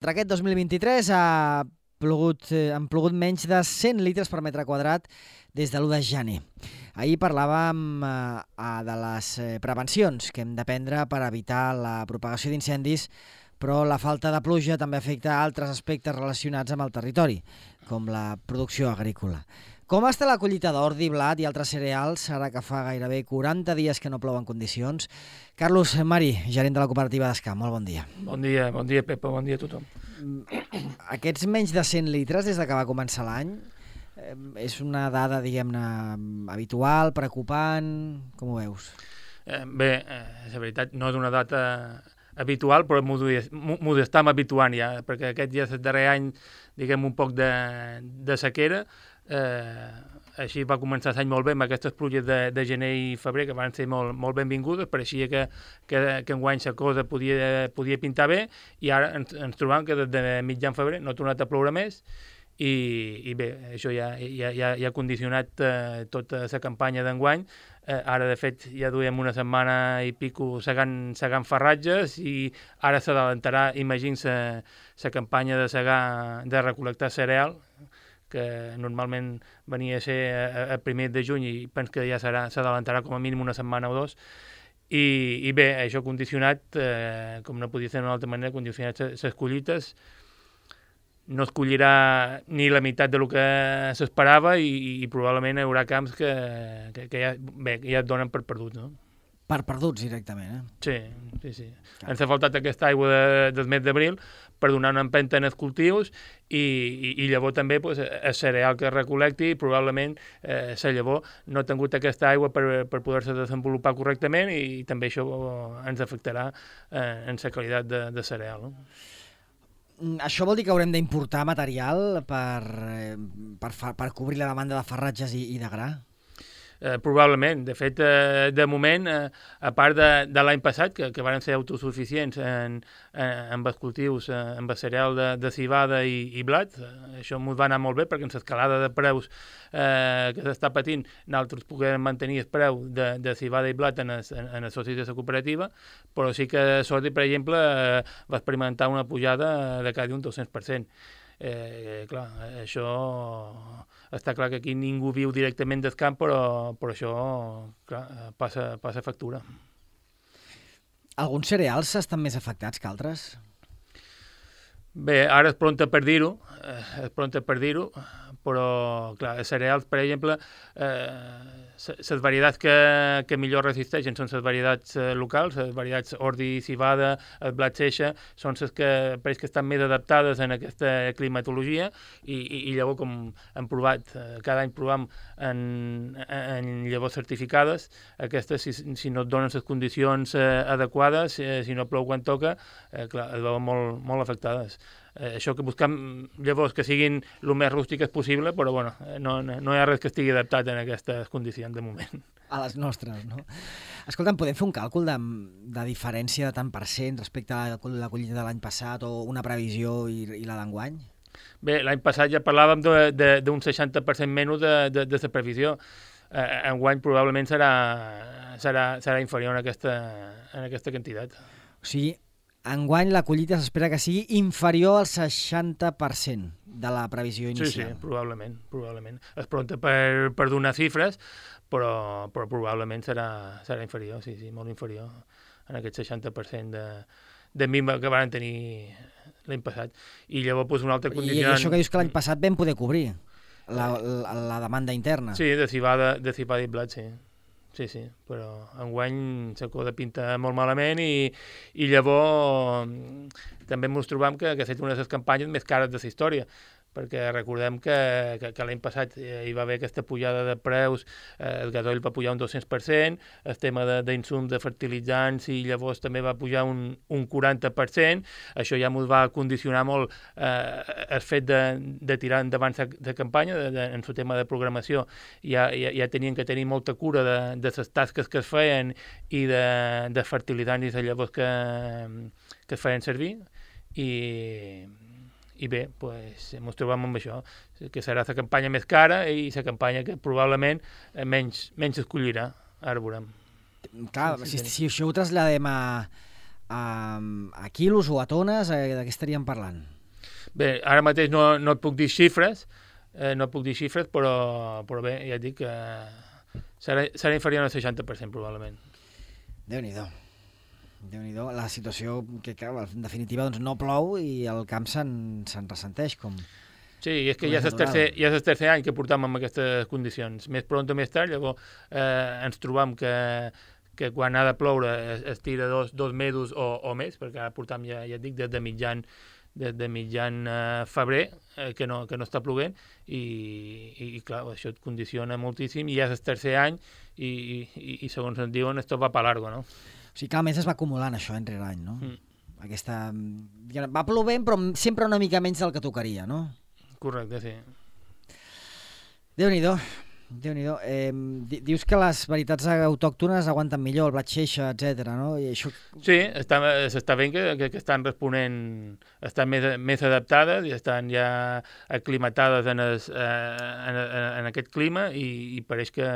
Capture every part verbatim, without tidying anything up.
Aquest dos mil vint-i-tres ha plogut, eh, han plogut menys de cent litres per metre quadrat des de l'u de gener. Ahir parlàvem eh, de les eh, prevencions que hem de prendre per evitar la propagació d'incendis, però la falta de pluja també afecta altres aspectes relacionats amb el territori, com la producció agrícola. Com està la collita d'ordi, blat i altres cereals, ara que fa gairebé quaranta dies que no plou en condicions? Carlos Mari, gerent de la cooperativa d'Escam, molt bon dia. Bon dia, bon dia, Pepa, bon dia a tothom. Aquests menys de cent litres des de que va començar l'any, eh, és una dada, diguem-ne, habitual, preocupant, com ho veus? Eh, bé, eh, la veritat, no és una data habitual, però m'ho estem habituant ja, perquè aquest ja és el darrer any, diguem, un poc de, de sequera. Eh, així va començar l'any molt bé amb aquestes pluges de, de gener i febrer que van ser molt, molt benvingudes, pareixia que, que, que enguany la cosa podia, podia pintar bé, i ara ens, ens trobam que des de mitjan febrer no ha tornat a ploure més, i, i bé, això ja, ja, ja, ja ha condicionat eh, tota la campanya d'enguany. Eh, ara, de fet, ja duem una setmana i pico segant, segant farratges, i ara s'adelantarà, imagina-se, la campanya de segar, de recol·lectar cereal, que normalment venia a ser a, a primer de juny, i penso que ja serà, s'adelantarà com a mínim una setmana o dos. I, i bé, això ha condicionat, eh, com no podia ser d'una altra manera, condicionat les collites. No es collirà ni la meitat del que s'esperava, i, i probablement hi haurà camps que, que, que ja, bé, ja et donen per perduts, no? Per perduts, directament, eh? Sí, sí, sí. Clar. Ens ha faltat aquesta aigua de, del mes d'abril per donar una empenta en els cultius, i, i, i llavors també pues, el cereal que es recol·lecti, probablement eh, la llavor no ha tingut aquesta aigua per, per poder-se desenvolupar correctament, i, i també això ens afectarà eh, en la qualitat de, de cereal, no? Això vol dir que haurem d'importar material per, per, per cobrir la demanda de farratges i, i de gra? Eh, probablement. De fet, eh, de moment, eh, a part de, de l'any passat, que, que van ser autosuficients en, en, en els cultius, eh, en el cereal de, de civada i, i blat, eh, això ens va anar molt bé, perquè en l'escalada de preus eh, que s'està patint, nosaltres puguem mantenir el preu de, de civada i blat en els, en, en els socis de la cooperativa, però sí que Sordi, per exemple, eh, va experimentar una pujada de quasi un dos-cents per cent. Eh, clar, això està clar que aquí ningú viu directament del camp, però, però això clar, passa, passa factura. Alguns cereals estan més afectats que altres? Bé, ara és pronta per dir-ho, eh, és pronta per dir-ho, però clar, els cereals, per exemple, eh, les varietats que, que millor resisteixen són les varietats eh, locals, les varietats ordi, civada, el blat seixa, són les que pareix que estan més adaptades en aquesta climatologia, i, i, i llavors, com hem provat, eh, cada any provem en, en llavors certificades, aquestes, si, si no et donen les condicions eh, adequades, eh, si no plou quan toca, eh, clar, es veuen molt, molt afectades. Eh, això que busquem llavors que siguin el més rústiques possible, però bueno, no, no hi ha res que estigui adaptat en aquestes condicions de moment. A les nostres, no? Escolta'm, podem fer un càlcul de, de diferència de tant per cent respecte a la collita de l'any passat, o una previsió i, i la d'enguany? Bé, l'any passat ja parlàvem d'un seixanta per cent menys de, de, de la previsió. Eh, enguany probablement serà, serà, serà inferior en aquesta, en aquesta quantitat. O sigui, enguany la collita s'espera que sigui inferior al seixanta per cent de la previsió inicial. Sí, sí, probablement, probablement. És pronta per, per donar xifres, però, però probablement serà, serà inferior, sí, sí, molt inferior en aquest seixanta per cent de, de minva que van tenir l'any passat. I llavors, pues, una altra condició... I això que dius que l'any passat vam poder cobrir la, la, la demanda interna. Sí, de civada, de civada i blat, sí. Sí, sí, però enguany la cosa pinta molt malament, i, i llavors també ens trobam que, que ha estat una de les campanyes més cares de la història, perquè recordem que, que, que l'any passat hi va haver aquesta pujada de preus, eh, el gasoil va pujar un dos-cents per cent, el tema d'insums de, de fertilitzants i llavors també va pujar un, un quaranta per cent, això ja ens va condicionar molt eh, el fet de, de tirar endavant la campanya, de, de, en el tema de programació, ja, ja, ja tenien que tenir molta cura de, de les tasques que es feien i de, de fertilitzants i de llavors que, que es feien servir, i... I bé, pues, ens trobem amb això, que serà la campanya més cara i la campanya que probablement menys, menys es collirà, ara veurem. Clar, si, si això ho traslladem a, a, a quilos o a tones, eh, de què estaríem parlant? Bé, ara mateix no, no et puc dir xifres, eh, no et puc dir xifres, però, però bé, ja et dic que serà, serà inferior al seixanta per cent probablement. Déu-n'hi-do. Déu-n'hi-do. La situació que, que en definitiva doncs, no plou i el camp se'n se ressenteix com... Sí, és que ja és, el tercer, ja és el tercer any que portam en aquestes condicions. Més pront o més tard, llavors eh, ens trobam que, que quan ha de ploure es, es tira dos, dos mesos o, o més, perquè ara portam, ja, ja et dic, des de mitjan, des de mitjan eh, febrer eh, que, no, que no està ploguent i, i, i clar, això et condiciona moltíssim i ja és el tercer any i, i, i segons ens diuen, esto va pa largo, no? O sigui que a més es va acumulant això entre l'any, no? Mm. Aquesta... Va plovent, però sempre una mica menys del que tocaria, no? Correcte, sí. Déu-n'hi-do, Déu-n'hi-do. Eh, dius que les varietats autòctones aguanten millor, el blat xeixa, etcètera, no? I això... Sí, s'està veient que, que, que estan responent, estan més, més adaptades i estan ja aclimatades en, es, eh, en, en aquest clima i, i pareix que,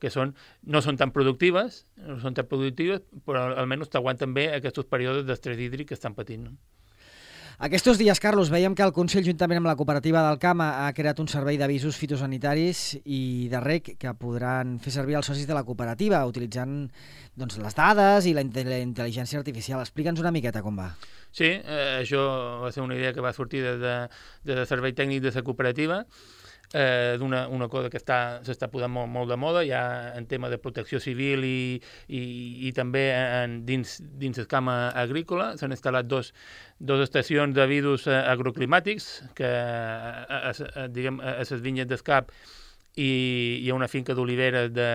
que són, no són tan productives, no són tan productives, però almenys t'aguanten bé aquests períodes d'estrès hídric que estan patint, no? Aquests dies, Carlos, veiem que el Consell, juntament amb la cooperativa del Camp, ha creat un servei d'avisos fitosanitaris i de reg que podran fer servir els socis de la cooperativa, utilitzant doncs, les dades i la, la intel·ligència artificial. Explica'ns una miqueta com va. Sí, eh, això va ser una idea que va sortir des de, des del servei tècnic de la cooperativa, eh, d'una una cosa que s'està posant molt, molt de moda, ja en tema de protecció civil i, i, i també en, dins, dins el camp agrícola. S'han instal·lat dos, dos estacions d'avisos agroclimàtics que a, a, a, diguem, a les vinyes del Cap i hi ha una finca d'oliveres de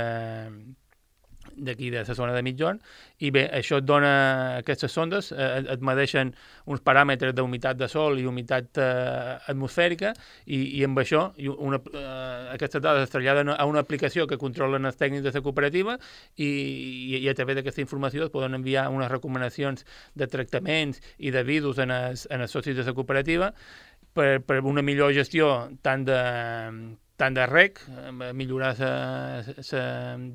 d'aquí de la zona de Mitjorn, i bé, això et dona, aquestes sondes eh, et medeixen uns paràmetres d'humitat de sol i humitat eh, atmosfèrica i, i amb això una, eh, aquestes dades es traslladen a una aplicació que controlen els tècnics de la cooperativa i, i, i a través d'aquesta informació es poden enviar unes recomanacions de tractaments i d'avisos en els, en els socis de la cooperativa per, per una millor gestió tant de tant de reg, millorar la, la,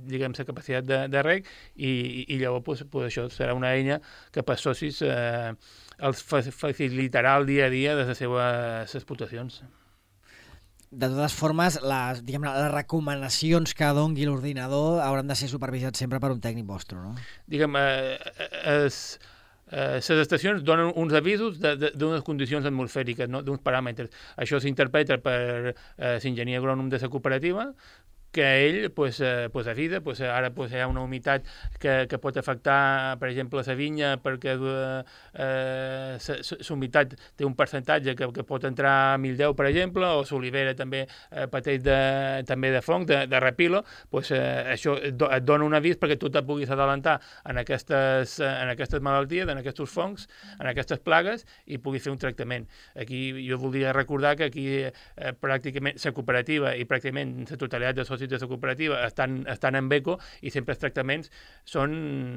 diguem, la capacitat de, de reg i, i llavors pues, pues, això serà una eina que per socis eh, els facilitarà el dia a dia de les seves explotacions. De totes formes, les, diguem, les recomanacions que dongui l'ordinador hauran de ser supervisats sempre per un tècnic vostre, no? Diguem, eh, es, les eh, estacions donen uns avisos d'unes condicions atmosfèriques, no? D'uns paràmetres. Això s'interpreta per eh, l'enginyer agrònom de la cooperativa, que ell pues, eh, pues avisa, pues, ara pues, hi ha una humitat que, que pot afectar, per exemple, la vinya, perquè eh, la humitat té un percentatge que, que pot entrar a mil deu, per exemple, o l'olivera també eh, pateix de, també de fong, de, de repilo, pues, eh, això et, do, et dona un avís perquè tu te puguis adelantar en aquestes, en aquestes malalties, en aquests fongs, en aquestes plagues, i puguis fer un tractament. Aquí jo voldria recordar que aquí eh, pràcticament la cooperativa i pràcticament la totalitat de socis de la cooperativa estan, estan en eco i sempre els tractaments són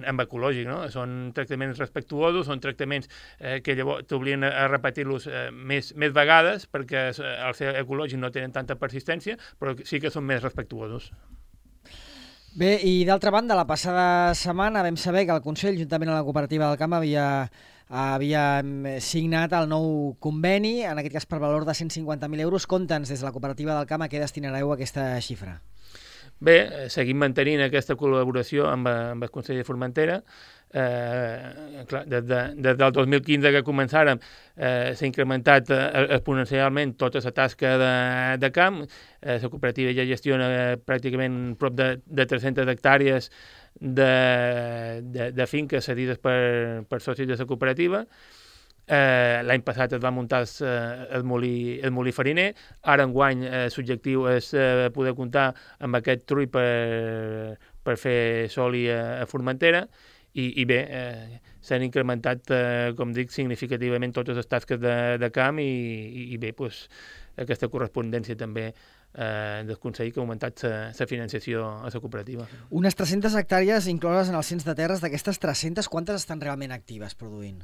en ecològic, no? Són tractaments respectuosos, són tractaments eh, que llavors t'oblien a repetir-los eh, més, més vegades perquè al ser ecològic no tenen tanta persistència, però sí que són més respectuosos. Bé, i d'altra banda, la passada setmana vam saber que el Consell, juntament amb la cooperativa del Camp, havia, havia signat el nou conveni, en aquest cas per valor de cent cinquanta mil euros. Conta'ns des de la cooperativa del Camp a què destinareu aquesta xifra. Bé, seguim mantenint aquesta col·laboració amb, amb el Consell de Formentera. Eh, clar, des, de, des del dos mil quinze que començàrem eh, s'ha incrementat eh, exponencialment tota la tasca de, de camp. Eh, la cooperativa ja gestiona eh, pràcticament prop de, de tres-centes hectàrees de, de, de finques cedides per, per socis de la cooperativa. Eh, L'any passat es va muntar el, el, molí, el molí fariner. Ara enguany eh, l'objectiu és eh, poder comptar amb aquest trull per, per fer soli a, a Formentera i, i bé, eh, s'han incrementat, eh, com dic, significativament totes les tasques de, de camp i, i, i bé, pues, aquesta correspondència també eh, del Consell que ha augmentat la financiació a la cooperativa. Unes tres-centes hectàrees incloses en el cens de terres. D'aquestes tres-centes, quantes estan realment actives produint?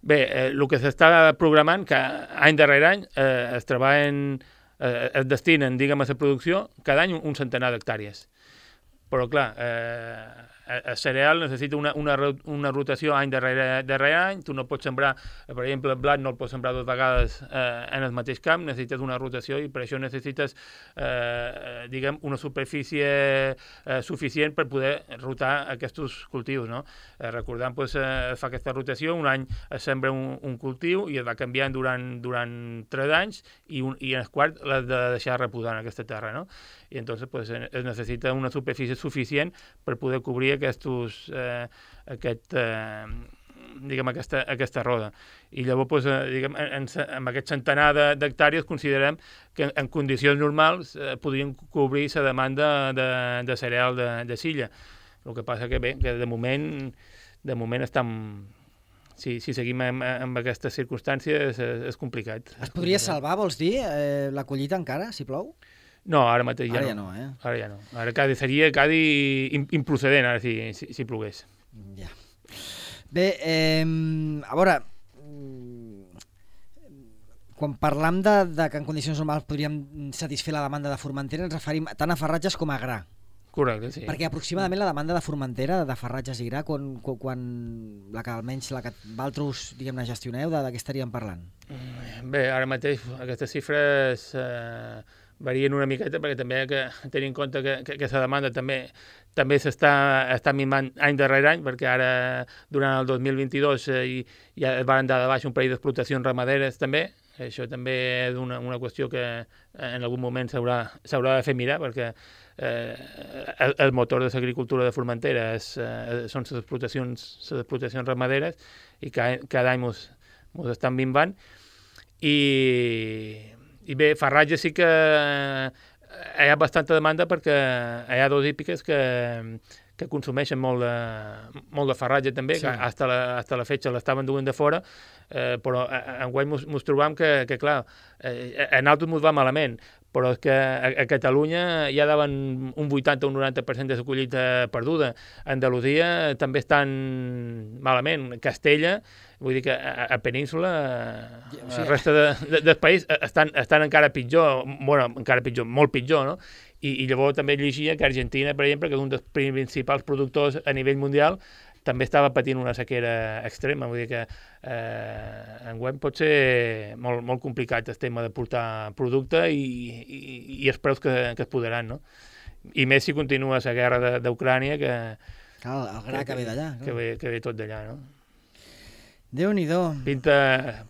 Bé, eh, el que s'està programant, que any darrere any eh, es treballen, eh, es destinen, diguem, a la producció, cada any un centenar d'hectàrees. Però, clar, eh, el cereal necessita una, una, una rotació any darrere, darrere any, tu no pots sembrar, per exemple, el blat no el pots sembrar dues vegades eh, en el mateix camp, necessites una rotació i per això necessites, eh, diguem, una superfície eh, suficient per poder rotar aquests cultius, no? Eh, recordant, pues, eh, es fa aquesta rotació, un any es sembra un, un cultiu i es va canviant durant, durant tres anys i, un, i en el quart l'has de deixar reposar en aquesta terra, no? I entonces pues, es necessita una superfície suficient per poder cobrir aquests, eh, aquest, eh, diguem, aquesta, aquesta roda. I llavors, pues, eh, diguem, en, en aquest centenar d'hectàrees considerem que en, en condicions normals eh, podrien cobrir la demanda de, de cereal de, de silla. El que passa que bé, que de moment, de moment estem... Si, si seguim amb, amb aquestes circumstàncies és, és complicat. Es podria salvar, vols dir, eh, la collita encara, si plou? No, ara mateix ja ara no. ja no, eh? Ara ja no. Ara cada, seria quasi improcedent, ara, si, si, si plogués. Ja. Bé, eh, a veure, quan parlam de, de que en condicions normals podríem satisfer la demanda de Formentera, ens referim tant a farratges com a gra. Correcte, sí. Perquè aproximadament la demanda de Formentera, de farratges i gra, quan, quan, quan la que almenys la que vosaltres, diguem-ne, gestioneu, de, de què estaríem parlant? Bé, ara mateix aquestes xifres eh, varien una miqueta perquè també hay que tenir en compte que, que, que la demanda també també s'està està mimant any darrere any, perquè ara, durant el dos mil vint-i-dos, eh, ja es van dar de baix un parell d'explotacions ramaderes també. Això també és una, una qüestió que en algun moment s'haurà de fer mirar, perquè eh, el, el motor de l'agricultura de Formentera és, eh, són les explotacions, les explotacions ramaderes, i cada, cada any mos, mos estan minvant. I, i bé, farratge sí que hi ha bastanta demanda perquè hi ha dos hípiques que, que consumeixen molt de, molt de farratge també, sí. Que hasta la, hasta la fetge l'estaven duent de fora, eh, però enguany mos, mos trobam que, que clar, eh, a nosaltres mos va malament, però és que a, a Catalunya ja daven un vuitanta o un noranta per cent de la collita perduda. A Andalusia també estan malament. Castella, vull dir que a, a Península, o sigui, la resta de, de, del país estan, estan encara pitjor, bueno, encara pitjor, molt pitjor, no? I, i llavors també llegia que Argentina, per exemple, que és un dels principals productors a nivell mundial, també estava patint una sequera extrema. Vull dir que eh, enguany pot ser molt, molt complicat el tema de portar producte i, i, i els preus que, que es podran, no? I més si continua la guerra d'Ucrània, que, Clar, el gra que, que ve d'allà. Que, ve, que ve tot d'allà, no? Déu-n'hi-do. Pinta,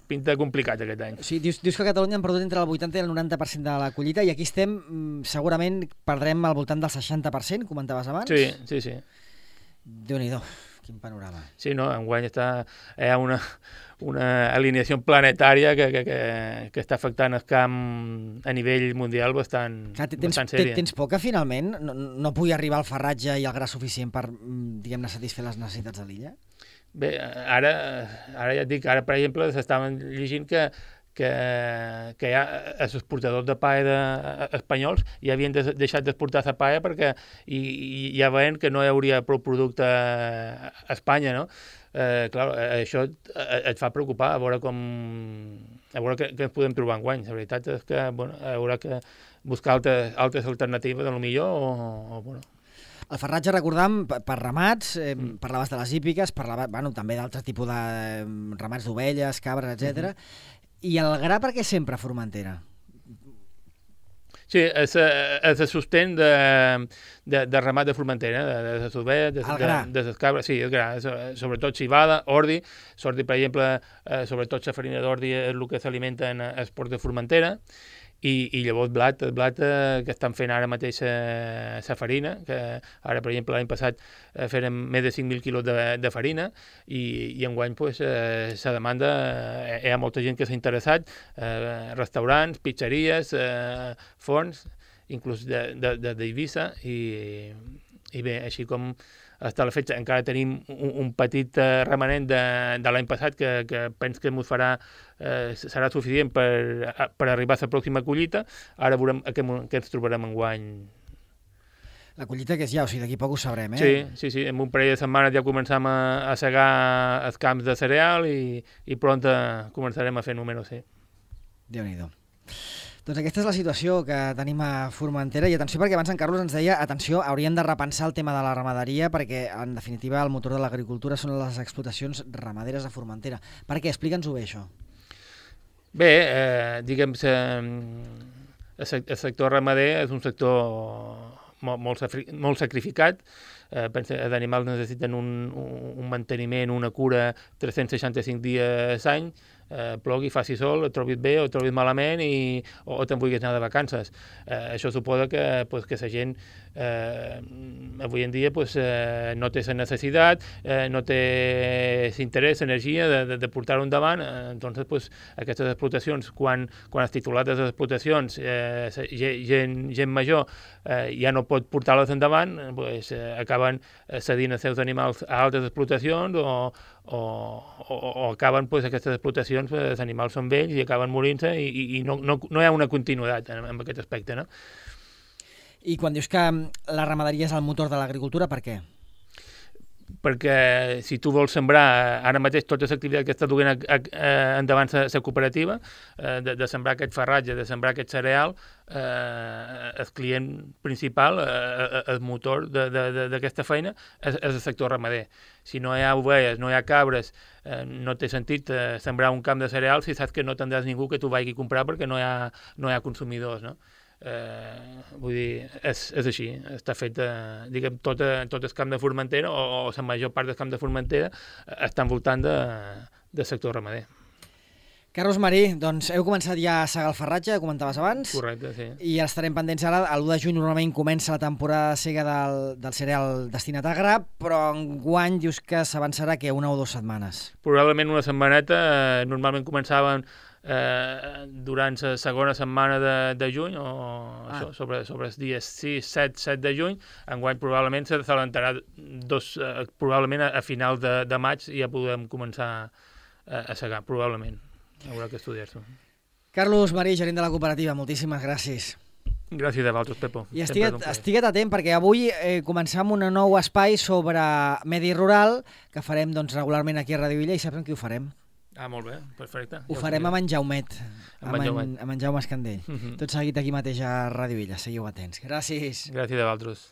pinta complicat aquest any. Sí, dius, dius que a Catalunya han perdut entre el vuitanta i el noranta per cent de la collita, i aquí estem, segurament perdrem al voltant del seixanta per cent, comentaves abans? Sí, sí, sí. Déu-n'hi-do, quin panorama. Sí, no, enguany està, hi ha una, una alineació planetària que, que, que, que està afectant el camp a nivell mundial bastant, Clar, tens, bastant sèria. Tens por que finalment no, no pugui arribar el farratge i el gra suficient per, diguem-ne, satisfer les necessitats de l'illa? Bé, ara, ara ja et dic, ara, per exemple, s'estaven llegint que, que, que ja els exportadors de paella de, espanyols ja havien des, deixat d'exportar la paella perquè i, i ja veien que no hi hauria prou producte a Espanya, no? Eh, clar, això et, et fa preocupar, a veure com... a veure què, què ens podem trobar enguany. La veritat és que, bueno, haurà que buscar altres, altres alternatives, de lo millor, o, o bueno... El farratge, recordam, per ramats, eh, mm. parlaves de les hípiques, parlava, bueno, també d'altres tipus de eh, ramats d'ovelles, cabres, etcètera. Mm-hmm. I el gra, per què sempre a Formentera? Sí, és, és el sostén de, de, de ramat de Formentera, de, de les ovelles, de, de, de les cabres, sí, el gra, sobretot civada, ordi, s'ordi, per exemple, eh, sobretot la farina d'ordi és el que s'alimenta en el port de Formentera, I, i llavors blat, el blat eh, que estan fent ara mateix la farina, que ara, per exemple, l'any passat eh, feren més de cinc mil quilos de, de farina, i, i enguany pues, eh, la demanda, eh, hi ha molta gent que s'ha interessat, eh, restaurants, pizzeries, eh, forns, inclús d'Eivissa, i, i bé, així com està la fetge, encara tenim un, un petit uh, remanent de, de l'any passat que, que penso que ens farà, eh, serà suficient per, per arribar a la pròxima collita. Ara veurem què, què ens trobarem enguany. La collita que és ja, o sigui, d'aquí poc ho sabrem, eh? Sí, sí, sí, en un parell de setmanes ja començam a, a segar els camps de cereal i, i pront començarem a fer números, sí. Déu-n'hi-do. Doncs aquesta és la situació que tenim a Formentera, i atenció perquè abans en Carlos ens deia, atenció, hauríem de repensar el tema de la ramaderia perquè en definitiva el motor de l'agricultura són les explotacions ramaderes a Formentera. Per què? Explica'ns-ho bé, això. Bé, eh, diguem que el sector ramader és un sector molt, molt, molt sacrificat. Eh, pensa, els animals necessiten un, un manteniment, una cura tres-cents seixanta-cinc dies l'any, eh, plogui, faci sol, et trobis bé o et trobis malament i, o, o te'n vulguis anar de vacances. Eh, això suposa que, pues, que la gent eh, avui en dia pues, eh, no té la necessitat, eh, no té l'interès, l'energia de, de, de portar-ho endavant. Eh, entonces, pues, aquestes explotacions, quan, quan els titulars de les explotacions, eh, gent, gent major, eh, ja no pot portar-les endavant, pues, eh, acaben cedint els seus animals a altres explotacions o, o, o, o acaben pues, aquestes explotacions, pues, els animals són vells i acaben morint-se i, i, i no, no, no hi ha una continuïtat en, en aquest aspecte, no? I quan dius que la ramaderia és el motor de l'agricultura, per què? Perquè si tu vols sembrar ara mateix tota l'activitat que està duent a, a, a, endavant la cooperativa, eh, de, de sembrar aquest farratge, de sembrar aquest cereal, eh, el client principal, eh, el motor d'aquesta feina és, és el sector ramader. Si no hi ha ovelles, no hi ha cabres, eh, no té sentit eh, sembrar un camp de cereal si saps que no tindràs ningú que t'ho vagi a comprar perquè no hi ha, no hi ha consumidors, no? Eh, vull dir, és, és així, està fet, eh, diguem, tot, tot el camp de Formentera o, o la major part del camp de Formentera eh, està envoltant de, de sector ramader. Carlos Marí, doncs heu començat ja a segar el farratge, comentaves abans. Correcte, sí. I estarem pendents ara, l'u de juny normalment comença la temporada de sega del, del cereal destinat a gra, però enguany dius que s'avançarà que una o dues setmanes. Probablement una setmaneta, eh, normalment començaven Eh, durant la segona setmana de, de juny o ah. això, sobre, sobre els dies sis, set, set de juny. Enguany probablement se s'alentarà dos, eh, probablement a, a final de, de maig i ja podem començar a, a segar, probablement. Haurà que estudiar-s'ho. Carlos Marí, gerent de la cooperativa, moltíssimes gràcies. Gràcies a vosaltres, Pepo. I estiguet, estiguet atent perquè avui eh, començam un nou espai sobre medi rural que farem doncs, regularment aquí a Radio Illa i saps amb qui ho farem? Ah, molt bé, perfecte. Ho ja farem amb en Jaumet, amb, amb, en, en, amb en Jaume Escandell. Uh -huh. Tot seguit aquí mateix a Radio Illa, seguiu atents. Gràcies. Gràcies a vosaltres.